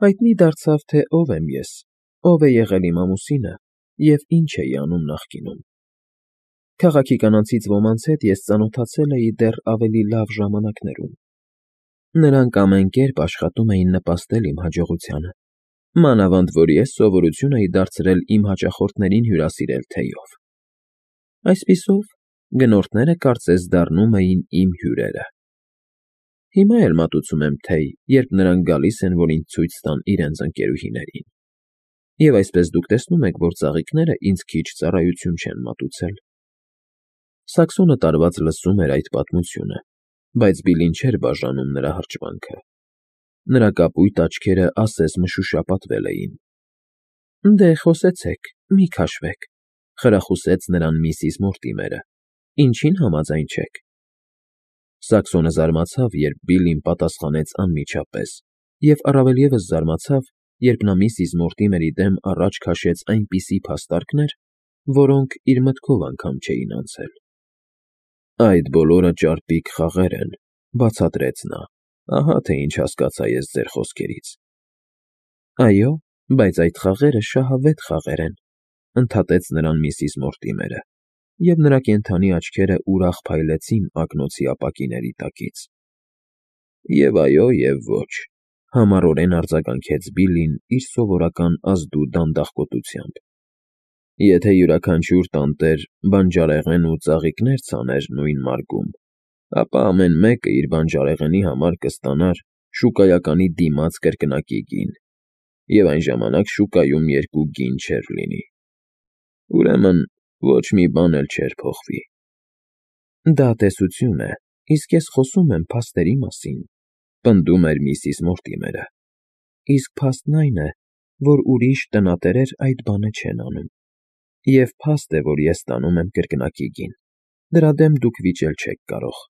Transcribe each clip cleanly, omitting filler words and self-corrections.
Հայտնի դարձավ, թե ով եմ ես, ով է եղել իմ ամուսինը և ինչ էի անում նախկինում։ Քաղաքի կանանցից ոմանց հետ ես ծանոթացել էի դեռ ավելի լավ ժամանակներում. նրանք ամեն կերպ աշխատում էին նպաստել իմ հաջողությանը, մանավանդ որ ես սովորություն էի դարձրել իմ հաճախորդներին հյուրասիրել թեյով։ Այսպիսով, գնորդները կարծես դառնում էին իմ հյուրերը։ Հիմա էլ մատուցում եմ թեյ, երբ նրանք գալիս են, որ ինձ ցույց տան իրենց ընկերուհիներին։ Եվ այսպես դուք տեսնում եք, որ ծաղիկները ինձ քիչ ծառայություն չեն մատուցել։ Սաքսոնը տարված լսում էր այդ պատմությունը, բայց Բիլին չէր բաժանում նրա հրճվանքը։ Նրա կապույտ աչքերը ասես մշուշապատվել էին։ Դե խոսեցեք, մի քաշվեք, խրախուսեց նրան միսիս Մորտիմերը։ Ինչին համաձայն չեք։ Սաքսոնը զարմացավ, երբ Բիլին պատասխանեց անմիջապես, և առավել ևս զարմացավ, երբ նա միսիս Մորտիմերի դեմ առաջ քաշեց այնպիսի փաստարկներ, որոնք իր մտքով անգամ չէին անցել։ Այդ բոլորը ճարպիկ խաղեր են, բացատրեց նա, ահա թե ինչ հասկացա ես ձեր խոսքերից։ Այո, բայց այդ խաղերը շահավետ խաղեր են, ընդհատեց նրան միսիս Մորտիմերը, և նրա կենդանի աչքերը ուրախ փայլեցին ակնոցի ապակիների տակից։ Եվ այո, և ոչ, համառորեն արձագանքեց Բիլին իր սովորական ազդու դանդաղկոտությամբ։ Եթե յուրաքանչյուր տանտեր բանջարեղեն ու ծաղիկներ ցաներ նույն մարգում, ապա ամեն մեկը իր բանջարեղենի համար կստանար շուկայականի դիմաց կրկնակի գին, և այն ժամանակ շուկայում երկու գին չէր լինի։ Ուրեմն ոչ մի բան էլ չէր փոխվի։ Դա տեսություն է, իսկ ես խոսում եմ փաստերի մասին, պնդում էր միսիս Մորտիմերը։ Իսկ փաստն այն է, որ ուրիշ տնատերեր այդ բանը չեն անում։ Եվ փաստ է, որ ես ստանում եմ կրկնակի գին, դրա դեմ դուք վիճել չեք կարող։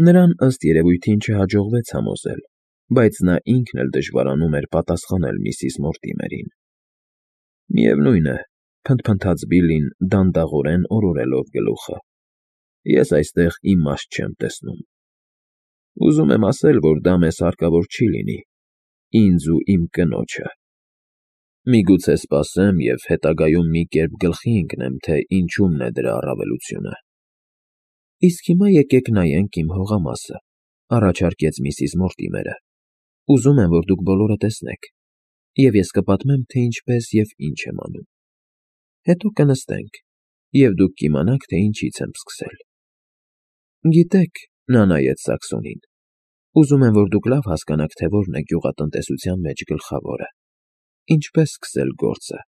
Նրան ըստ երևույթին չհաջողվեց համոզել, բայց նա ինքն էլ դժվարանում էր պատասխանել միսիս Մորտիմերին։ Միևնույն է, փնթփնթաց Բիլին դանդաղորեն օրորելով գլուխը, ես այստեղ իմաստ չեմ տեսնում։ Ուզում եմ ասել, որ դա մեզ հարկավոր չի լինի, ինձ ու իմ կնոջը։ Միգուցե սպասեմ և հետագայում մի կերպ գլխի ընկնեմ, թե ինչումն է դրա առավելությունը։ Իսկ հիմա եկեք նայենք իմ հողամասը, առաջարկեց միսիս Մորտիմերը։ Ուզում եմ, որ դուք բոլորը տեսնեք, և ես կպատմեմ, թե ինչպես և ինչ եմ անում։ Հետո կնստենք, և դուք կիմանաք, թե ինչից եմ սկսել։ Գիտեք, նա նայեց Սաքսոնին, ուզում եմ, որ դուք լավ հասկանաք, թե որն է գյուղատնտեսության մեջ գլխավորը, ինչպես սկսել գործը։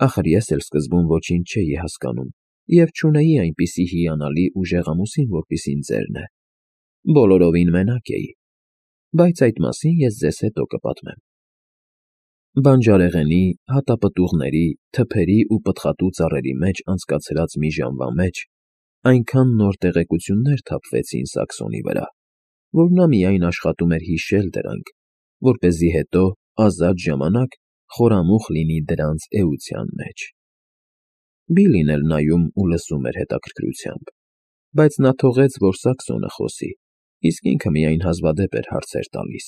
Ախր ես էլ սկզբում ոչինչ չէի հասկանում և չունեի այնպիսի հիանալի ուժեղ ամուսին, որպիսին ձերն է։ Բոլորովին մենակ էի, բայց այդ մասին ես ձեզ հետո կպատմեմ։ Բանջարեղենի, հատապտուղների, թփերի ու պտղատու ծառերի մեջ անցկացրած մի ժամվա մեջ այնքան նոր տեղեկություններ թափվեցին Սաքսոնի վրա, որ նա միայն աշխատում էր հիշել դրանք, որպեսզի հետո ազատ ժամանակ խորամուխ լինի դրանց էության մեջ։ Բիլին էլ նայում ու լսում էր հետաքրքրությամբ, բայց նա թողեց, որ Սաքսոնը խոսի, իսկ ինքը միայն հազվադեպ էր հարցեր տալիս։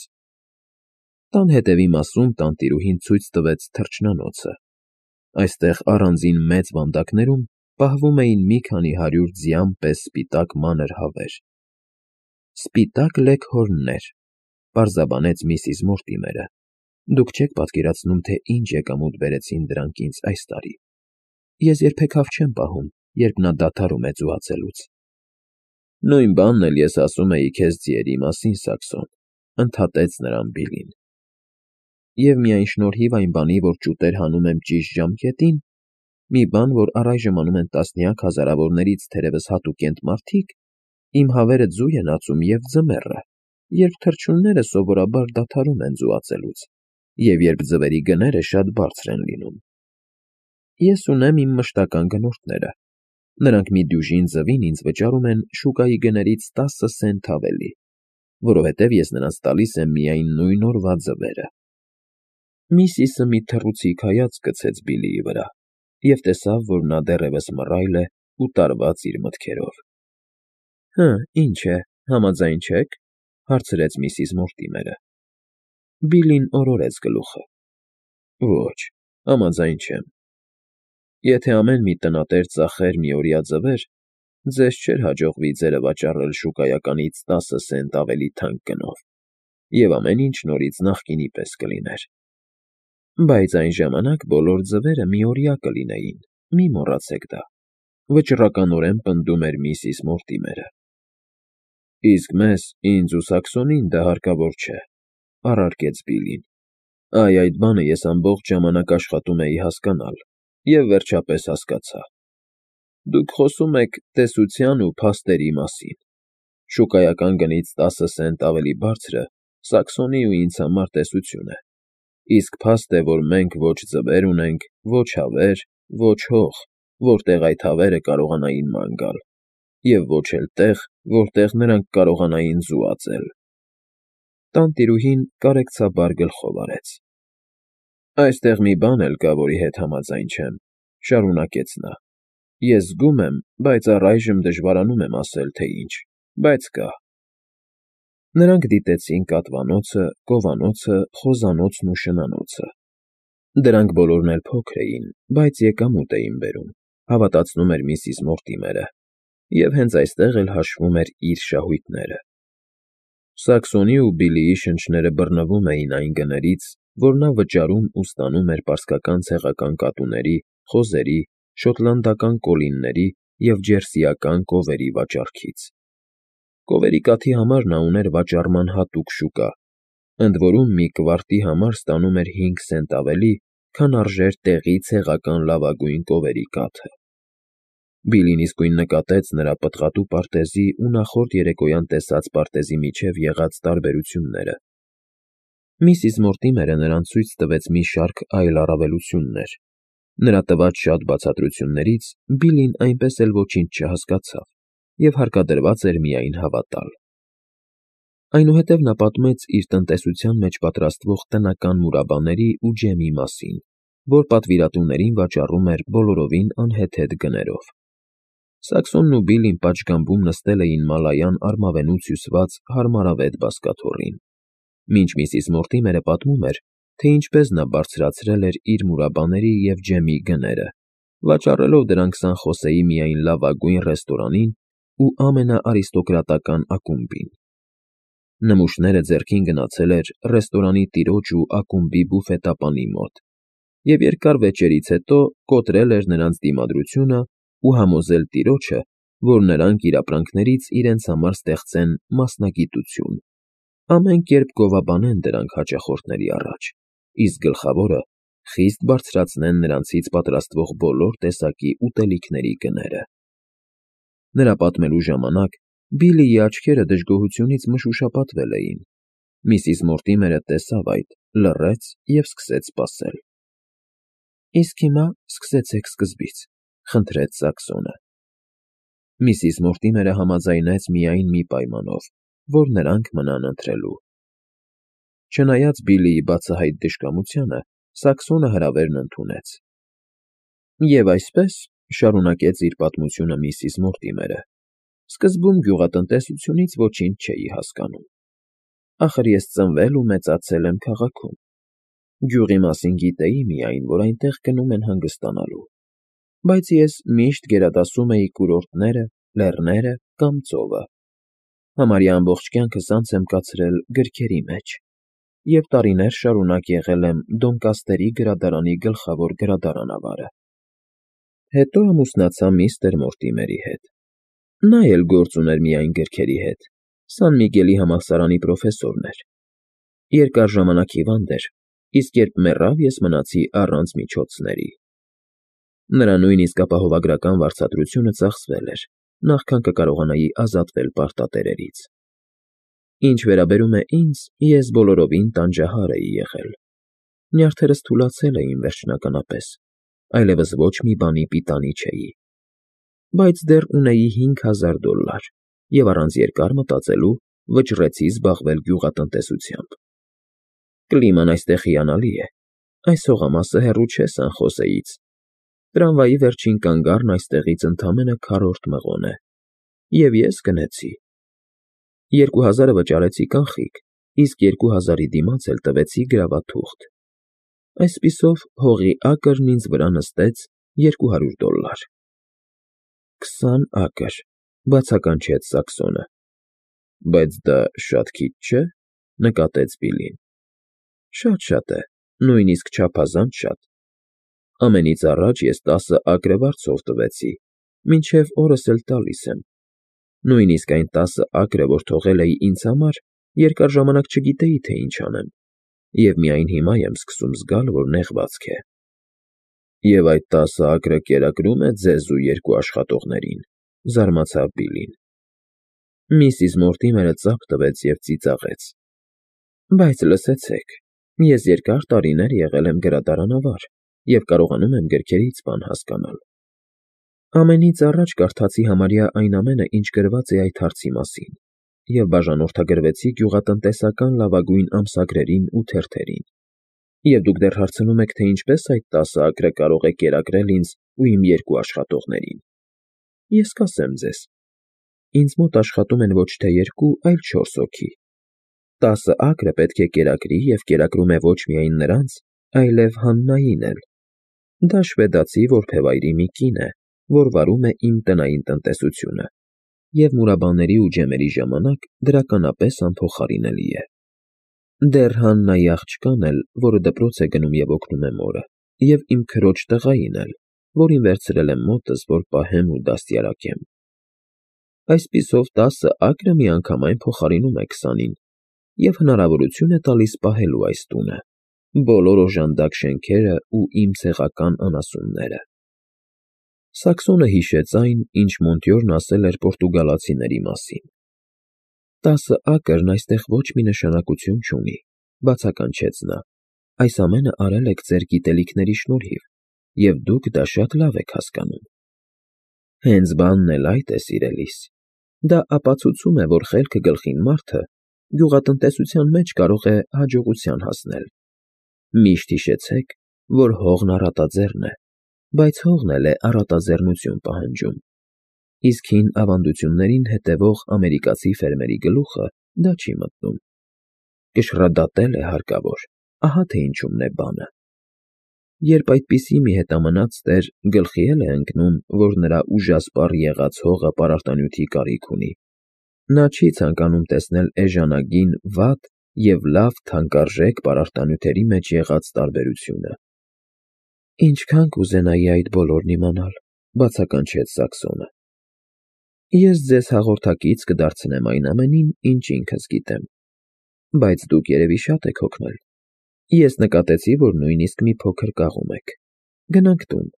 Տան հետևի մասում տանտիրուհին ցույց տվեց թռչնանոցը։ Այստեղ առանձին մեծ վանդակներում պահվում էին մի քանի 100 ձյան պես սպիտակ մանր հավեր։ Սպիտակ լեգհորններ, պարզաբանեց միսիս Մորտիմերը։ Դուք չեք պատկերացնում, թե ինչ եկամուտ բերեցին դրանք ինձ այս տարի։ Ես երբեք հավ չեմ պահում, երբ նա դադարում է ծուացելուց։ Նույն բանն էլ ես ասում էի քեզ ձիերի մասին, Սաքսոն, ընդհատեց նրան Բիլին։ Եվ միայն շնորհիվ այն բանի, որ ճուտեր հանում եմ ճիշտ ժամկետին, մի բան, որ առայժմ անում են տասնյակ հազարավորներից թերևս հատուկենտ մարդիկ, իմ հավերը ձու են ածում և ձմեռը, երբ թռչունները սովորաբար դադարում են ձուացելուց, և երբ ձվերի գները շատ բարձր են լինում։ Ես ունեմ իմ մշտական գնորդները։ Նրանք մի դյուժին ձվին ինձ վճարում են շուկայի գներից 10 սենտ ավելի, որովհետև ես նրանց տալիս եմ միայն նույն օրվա ձվերը։ Միսիսը մի թռուցիկ հայացք գցեց Բիլիի վրա և տեսավ, որ նա դեռևս մռայլ է ու տարված իր մտքերով։ Հը, ինչ է, համաձայն չե՞ք, հարցրեց միսիս Մորտիմերը։ Բիլին օրորեց գլուխը։ Ոչ, համաձայն չեմ։ Եթե ամեն մի տնատեր ծախեր միօրյա ձվեր, ձեզ չէր հաջողվի ձերը վաճառել շուկայականից 10 սենտ ավելի թանկ գնով, և ամեն ինչ նորից նախկինի պես կլիներ։ Բայց այն ժամանակ բոլոր ձվերը միօրյա կլինեին, մի մոռացեք դա, վճռականորեն պնդում էր միսիս Մորտիմերը։ Իսկ մեզ, ինձ ու Սաքսոնին դա հարկավոր չէ, առարկեց Բիլին։ Այդ բանը ես ամբողջ ժամանակ աշխատում էի հասկանալ, և վերջապես հասկացա։ Դուք խոսում եք տեսության ու փաստերի մասին։ Շուկայական գնից 10 սենտ ավելի բարձրը Սաքսոնի ու ինձ համար տեսություն է, իսկ փաստ է, որ մենք ոչ ձվեր ունենք, ոչ հավեր, ոչ հող, որտեղ այդ հավերը կարողանային ման գալ, և ոչ էլ տեղ, որտեղ նրանք կարողանային ձու ածել։ Տանտիրուհին կարեկցաբար գլխով արեց։ Այստեղ մի բան էլ կա, որի հետ համաձայն չեմ, շարունակեց նա։ Ես զգում եմ, բայց առայժմ դժվարանում եմ ասել, թե ինչ, բայց կա։ Նրանք դիտեցին կատվանոցը, կովանոցը, խոզանոցն ու շնանոցը։ Դրանք բոլորն էլ փոքր էին, բայց եկամուտ էին բերում, հավատացնում էր միսիս Մորտիմերը, և հենց այստեղ էլ հաշվում էր իր շահույթները։ Սաքսոնի ու Բիլիի շնչները բռնվում էին այն գներից, որ նա վճարում ու ստանում էր պարսկական ցեղական կատուների, խոզերի, շոտլանդական կոլինների և ջերսիական կովերի վաճառքից։ Կովերի կաթի համար նա ուներ վաճառման հատուկ շուկա, ընդ որում մի կվարտի համար ստանում էր 5 սենտ ավելի, քան արժեր տեղի ցեղական լավագույն կովերի կաթը։ Բիլին իսկույն նկատեց նրա պտղատու պարտեզի ու նախորդ երեկոյան տեսած պարտեզի միջև եղած տարբերությունները։ Միսիս Մորտիմերը նրան ցույց տվեց մի շարք այլ առավելություններ։ Նրա տված շատ բացատրություններից Բիլին այնպես էլ ոչինչ չհասկացավ և հարկադրված էր միայն հավատալ։ Այնուհետև նա պատմեց իր տնտեսության մեջ պատրաստվող տնական մուրաբաների ու ջեմի մասին, որ պատվիրատուներին վաճառում էր բոլորովին անհեթեթ գներով։ Սաքսոնն ու Բիլին պատշգամբում նստել էին մալայան արմավենուց հյուսված հարմարավետ բազկաթոռին, մինչ միսիս Մորտիմերը պատմում էր, թե ինչպես նա բարձրացրել էր իր մուրաբաների և ջեմի գները, վաճառելով դրանք Սան Խոսեի միայն լավագույն ռեստորանին ու ամենաարիստոկրատական ակումբին։ Նմուշները ձեռքին գնացել էր ռեստորանի տիրոջ ու ակումբի բուֆետապանի մոտ, և երկար վեճերից հետո կոտրել էր նրանց դիմադրությունը ու համոզել տիրոջը, որ նրանք իր ապրանքներից իրենց համար ստեղծեն մասնագիտություն, ամեն կերպ գովաբանեն դրանք հաճախորդների առաջ, իսկ գլխավորը խիստ բարձրացնեն նրանցից պատրաստվող բոլոր տեսակի ուտելիքների գները։ Նրա պատմելու ժամանակ Բիլիի աչքերը դժգոհությունից մշուշապատվել էին։ Միսիս Մորտիմերը տեսավ այդ, լռեց և սկսեց սպասել։ Իսկ հիմա սկսեցեք սկզբից, խնդրեց Սաքսոնը։ Միսիս Մորտիմերը համաձայնեց միայն մի պայմանով, որ նրանք մնան ընթրելու։ Չնայած Բիլիի բացահայտ դժկամությանը, Սաքսոնը հրավերն ընդունեց։ Եվ այսպես, շարունակեց իր պատմությունը միսիս Մորտիմերը, սկզբում գյուղատնտեսությունից ոչինչ չէի հասկանում։ Ախր ես ծնվել ու մեծացել եմ քաղաքում։ Գյուղի մասին գիտեի միայն, որ այնտեղ գնում են հանգստանալու, բայց ես միշտ գերադասում էի կուրորտները, լեռները կամ ծովը։ Համարյա ամբողջ կյանքս անց եմ կացրել գրքերի մեջ և տարիներ շարունակ եղել եմ Դոնկաստերի գրադարանի գլխավոր գրադարանավարը։ Հետո ամուսնացա միստր Մորտիմերի հետ։ Նա էլ գործ ուներ միայն գրքերի հետ, Սան Միգելի համալսարանի պրոֆեսորն էր։ Երկար ժամանակ հիվանդ էր, իսկ երբ մեռավ, ես մնացի առանց միջոցների։ Նրա նույնիսկ ապահովագրական վարձատրությունը ծախսվել էր, նախքան կկարողանայի ազատվել պարտատերերից։ Ինչ վերաբերում է ինձ, ես բոլորովին տանջահար էի եղել։ Նյարդերս թուլացել էին վերջնականապես, այլևս ոչ մի բանի պիտանի չէի։ Բայց դեռ ունեի $5000 և առանց երկար մտածելու վճռեցի զբաղվել գյուղատնտեսությամբ։ Կլիման այստեղ հիանալի է, այս հողամասը հեռու չէ Սան Խոսեից։ Տրամվայի վերջին կանգառն այստեղից ընդամենը քառորդ մղոն է, և ես գնեցի։ 2000-ը վճարեցի կանխիկ, իսկ 2000-ի դիմաց էլ տվեցի գրավաթուղթ։ Այսպիսով հողի ակրն ինձ վրա նստեց $200։ 20 ակր, բացականչեց Սաքսոնը։ Բայց դա շատ քիչ չէ, նկատեց Բիլլին։ Շատ է, նույնիսկ չափազանց շատ։ Ամենից առաջ ես 10 ակրը վարձով տվեցի, մինչև օրս էլ տալիս եմ։ Նույնիսկ այն 10 ակրը, որ թողել էի ինձ համար, երկար ժամանակ չգիտեի, թե ինչ անեմ, և միայն հիմա եմ սկսում զգալ, որ նեղվածք է։ Եվ այդ 10 ակրը կերակրում է ձեզ ու երկու աշխատողներին, զարմացավ Բիլլին։ Միսիս Մորտիմերը ծափ տվեց և ծիծաղեց։ Բայց լսեցեք, ես երկար տարիներ եղել եմ գրադարանավար և կարողանում եմ գրքերից բան հասկանալ։ Ամենից առաջ կարդացի համարյա այն ամենը, ինչ գրված է այդ հարցի մասին, և բաժանորդագրվեցի գյուղատնտեսական լավագույն ամսագրերին ու թերթերին։ Եվ դուք դեռ հարցնում եք, թե ինչպես այդ 10 ակրը կարող է կերակրել ինձ ու իմ երկու աշխատողներին։ Ես կասեմ ձեզ. ինձ մոտ աշխատում են ոչ թե 2, այլ 4 հոգի։ 10 ակրը պետք է կերակրի և կերակրում է ոչ միայն նրանց, այլև Հաննային էլ։ Դա շվեդացի որբևայրի մի կին է, որ վարում է իմ տնային տնտեսությունը, և մուրաբաների ու ջեմերի ժամանակ դրականապես անփոխարինելի է։ Դեռ Հաննայի աղջկան էլ, որը դպրոց է գնում և օգնում է մորը, և իմ քրոջ տղային էլ, որին վերցրել եմ մոտս, որ պահեմ ու դաստիարակեմ։ Այսպիսով 10 ակրը միանգամայն փոխարինում է 20-ին և հնարավորություն է տալիս պահելու այս տունը, բոլոր օժանդակ շենքերը ու իմ ցեղական անասունները։ Սաքսոնը հիշեց այն, ինչ Մոնտյորն ասել էր պորտուգալացիների մասին։ 10 ակրն այստեղ ոչ մի նշանակություն չունի, բացականչեց նա։ Այս ամենը արել եք ձեր գիտելիքների շնորհիվ, և դուք դա շատ լավ եք հասկանում։ Հենց բանն էլ այդ է, սիրելիս։ Դա ապացուցում է, որ խելքը գլխին մարդը գյուղատնտեսության մեջ կարող է հաջողության հասնել։ Միշտ հիշեցեք, որ հողն առատաձեռն է, բայց հողն էլ է առատաձեռնություն պահանջում։ Իսկ հին ավանդություններին հետևող ամերիկացի ֆերմերի գլուխը դա չի մտնում։ Կշռադատել է հարկավոր, ահա թե ինչումն է բանը։ Երբ այդպիսի մի հետամնաց տեր գլխի է ընկնում, որ նրա ուժասպառ եղած հողը պարարտանյութի կարիք ունի, նա չի ցանկանում տեսնել էժանագին վատ և լավ թանկարժեք պարարտանյութերի մեջ եղած տարբերությունը։ Ինչքան կուզենայի այդ բոլորն իմանալ, բացականչեց Սաքսոնը։ Ես ձեզ հաղորդակից կդարձնեմ այն ամենին, ինչ ինքս գիտեմ։ Բայց դուք երևի շատ եք հոգնել։ Ես նկատեցի, որ նույնիսկ մի փոքր կաղում եք։ Գնանք տուն։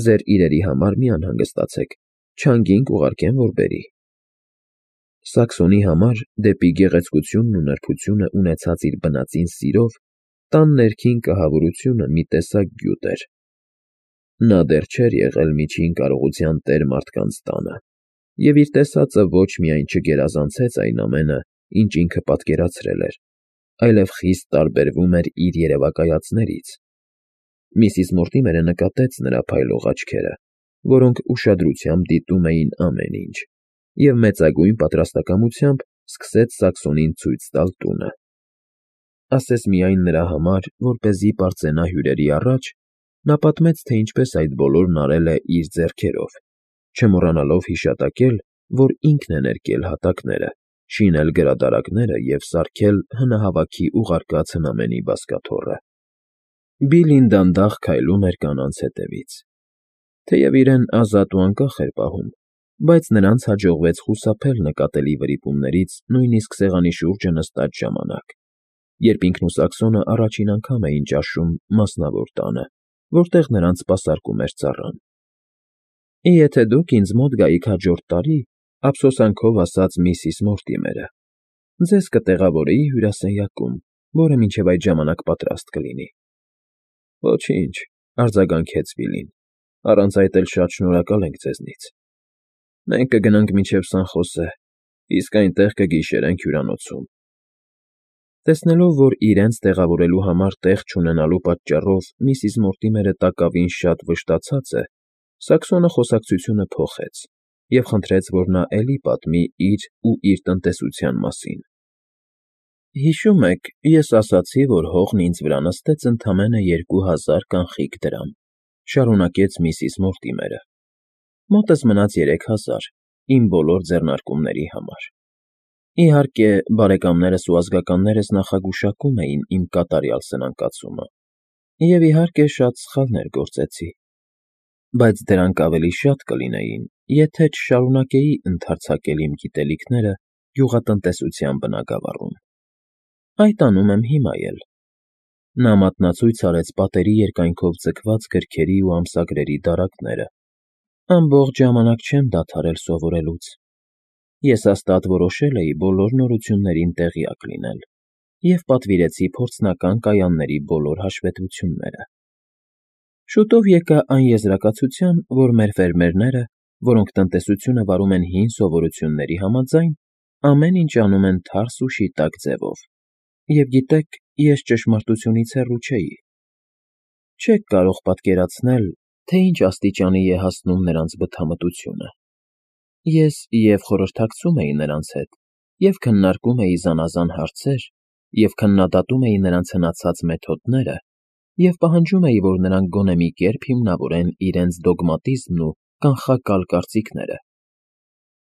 Ձեր իրերի համար մի անհանգստացեք, չանգին կուղարկեմ, որ բերի։ Սաքսոնի համար դեպի գեղեցկությունն ու նրբությունը ունեցած իր բնածին սիրով տան ներքին կահավորությունը մի տեսակ գյուտ էր։ Նա դեռ չէր եղել միջին կարողության տեր մարդկանց տանը, և իր տեսածը ոչ միայն չգերազանցեց այն ամենը, ինչ ինքը պատկերացրել էր, այլև խիստ տարբերվում էր իր երևակայածներից։ Միսիս Մորտիմերը նկատեց նրա փայլող աչքերը, որոնք ուշադրությամբ դիտում էին ամեն ինչ, և մեծագույն պատրաստակամությամբ սկսեց Սաքսոնին ցույց տալ տունը։ Ասես միայն նրա համար, որպեսզի պարծենա հյուրերի առաջ, նա պատմեց, թե ինչպես այդ բոլորն արել է իր ձեռքերով, չմոռանալով հիշատակել, որ ինքն է ներկել հատակները, շինել գրադարակները և սարքել հնահավաքի ուղարկած հնամենի բազկաթոռը։ Բիլլին դանդաղ քայլում էր կանանց հետևից։ Թեև իրեն ազատ ու անկախ էր պահում, բայց նրանց հաջողվեց խուսափել նկատելի վրիպումներից նույնիսկ սեղանի շուրջը նստած ժամանակ, երբ ինքն ու Սաքսոնը առաջին անգամ էին ճաշում մասնավոր տանը, որտեղ նրանց սպասարկում էր ծառան։ Եթե դուք ինձ մոտ գայիք հաջորդ տարի, ափսոսանքով ասաց միսիս Մորտիմերը, ձեզ կտեղավորեի հյուրասենյակում, որը մինչև այդ ժամանակ պատրաստ կլինի։ Ոչինչ, արձագանքեց Բիլլին, առանց այդ էլ շատ շնորհակալ ենք ձեզնից։ Մենք կգնանք մինչև Սան Խոսե, իսկ այնտեղ կգիշերենք հյուրանոցում։ Տեսնելով, որ իրենց տեղավորելու համար տեղ չունենալու պատճառով միսիս Մորտիմերը տակավին շատ վշտացած է, Սաքսոնը խոսակցությունը փոխեց և խնդրեց, որ նա էլի պատմի իր ու իր տնտեսության մասին։ Հիշում եք, ես ասացի, որ հողն ինձ վրա նստեց ընդամենը 2000 կանխիկ դրամ, շարունակեց միսիս Մորտիմերը։ Մոտս մնաց 3000 իմ բոլոր ձեռնարկումների համար։ Իհարկե, բարեկամներս ու ազգականներս նախագուշակում էին իմ կատարյալ սնանկացումը, և իհարկե շատ սխալներ գործեցի, բայց դրանք ավելի շատ կլինեին, եթե չշարունակեի ընդարձակել իմ գիտելիքները գյուղատնտեսության բնագավառում։ Այդ անում եմ հիմա էլ։ Նա մատնացույց արեց պատերի երկայնքով ձգված գրքերի ու ամսագրերի դարակները։ Ամբողջ ժամանակ չեմ դադարել սովորելուց։ Ես հաստատ որոշել էի բոլոր նորություններին տեղյակ լինել և պատվիրեցի փորձնական կայանների բոլոր հաշվետվությունները։ Շուտով եկա այն եզրակացության, որ մեր ֆերմերները, որոնք տնտեսությունը վարում են հին սովորությունների համաձայն, ամեն ինչ անում են թարս ու շիտակ ձևով, և գիտեք, ես ճշմարտությունից հեռու չէի։ Չեք կարող պատկերացնել, թե ինչ աստիճանի է հասնում նրանց բթամտությունը։ Ես և խորհրդակցում էի նրանց հետ, և քննարկում էի զանազան հարցեր, և քննադատում էի նրանց հնացած մեթոդները, և պահանջում էի, որ նրանք գոնե մի կերպ հիմնավորեն իրենց դոգմատիզմն ու կանխակալ կարծիքները։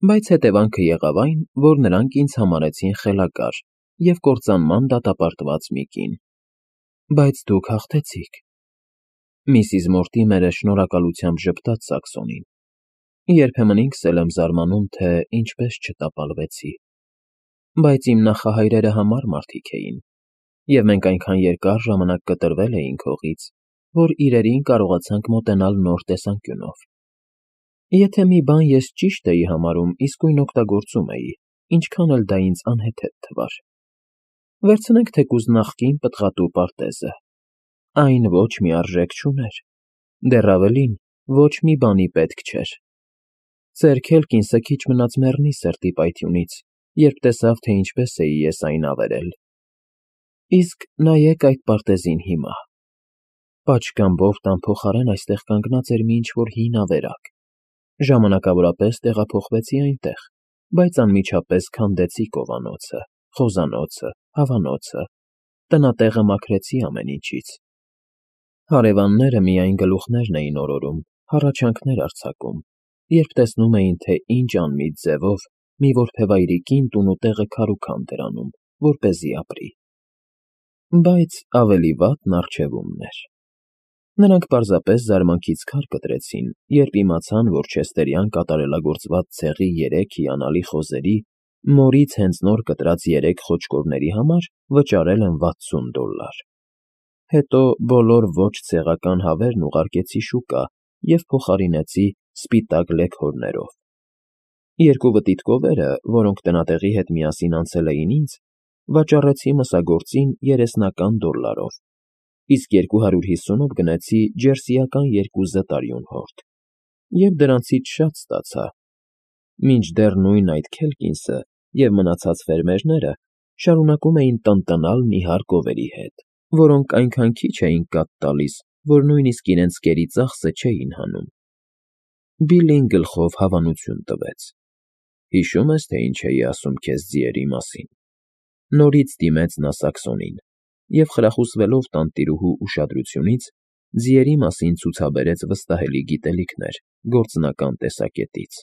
Բայց հետևանքը եղավ այն, որ նրանք ինձ համարեցին խելագար և կործանման դատապարտված մի կին։ Բայց դուք հաղթեցիք։ Միսիս Մորտիմերը շնորհակալությամբ ժպտաց Սաքսոնին։ Երբեմն ինքս էլ եմ զարմանում, թե ինչպես չտապալվեցի։ Բայց իմ նախահայրերը համառ մարդիկ էին, և մենք այնքան երկար ժամանակ կտրվել էինք հողից, որ իրերին կարողացանք մոտենալ նոր տեսանկյունով։ Եթե մի բան ես ճիշտ էի համարում, իսկույն օգտագործում էի, ինչքան էլ դա ինձ անհեթեթ թվար։ Վերցնենք թեկուզ նախկին պտղատու պարտեզը. այն ոչ մի արժեք չուներ, դեռ ավելին, ոչ մի բանի պետք չէր։ Ծեր Քելկինսը քիչ մնաց մեռնի սրտի պայթյունից, երբ տեսավ, թե ինչպես էի ես այն ավերել։ Իսկ նայեք այդ պարտեզին հիմա։ Պատշգամբով տան փոխարեն այստեղ կանգնած էր մի ինչ֊որ հին ավերակ։ Ժամանակավորապես տեղափոխվեցի այնտեղ, բայց անմիջապես քանդեցի կովանոցը, խոզանոցը, հավանոցը, տնատեղը մաքրեցի ամեն ինչից։ Հարևանները միայն գլուխներն էին օրորում, հառաչանքներ արձակում, երբ տեսնում էին, թե ինչ անմիտ ձևով մի որբևայրի կին տունու տեղը քարուքանդ էր անում, որպեսզի ապրի։ Բայց ավելի վատն առջևումն էր։ Նրանք պարզապես զարմանքից քար կտրեցին, երբ իմացան, որ Չեստերյան կատարելագործված ցեղի 3 հիանալի խոզերի, մորից հենց նոր կտրած 3 խոճկորների համար վճարել են $60։ Հետո բոլոր ոչ ցեղական հավերն ուղարկեցի շուկա և փոխարինեցի սպիտակ լեքորներով։ 2 վտիտկովերը, որոնք տնատեղի հետ միասին անցել էին ինձ, վաճառեցի մսագործին $30, իսկ 250-ով գնեցի ջերսիական 2 զտարյուն հորդ, և դրանցից շատ ստացա, մինչդեռ նույն այդ Քելկինսը և մնացած ֆերմերները շարունակում էին տնտնալ նիհար կովերի հետ, որոնք այնքան քիչ էին կաթ տալիս, որ նույնիսկ իրենց կերի ծախսը չէին հանում։ Բիլլին գլխով հավանություն տվեց։ Հիշո՞ւմ ես, թե ինչ էի ասում քեզ ձիերի մասին։ Նորից դիմեց նա Սաքսոնին և, խրախուսվելով տանտիրուհու ուշադրությունից, ձիերի մասին ցուցաբերեց վստահելի գիտելիքներ գործնական տեսակետից։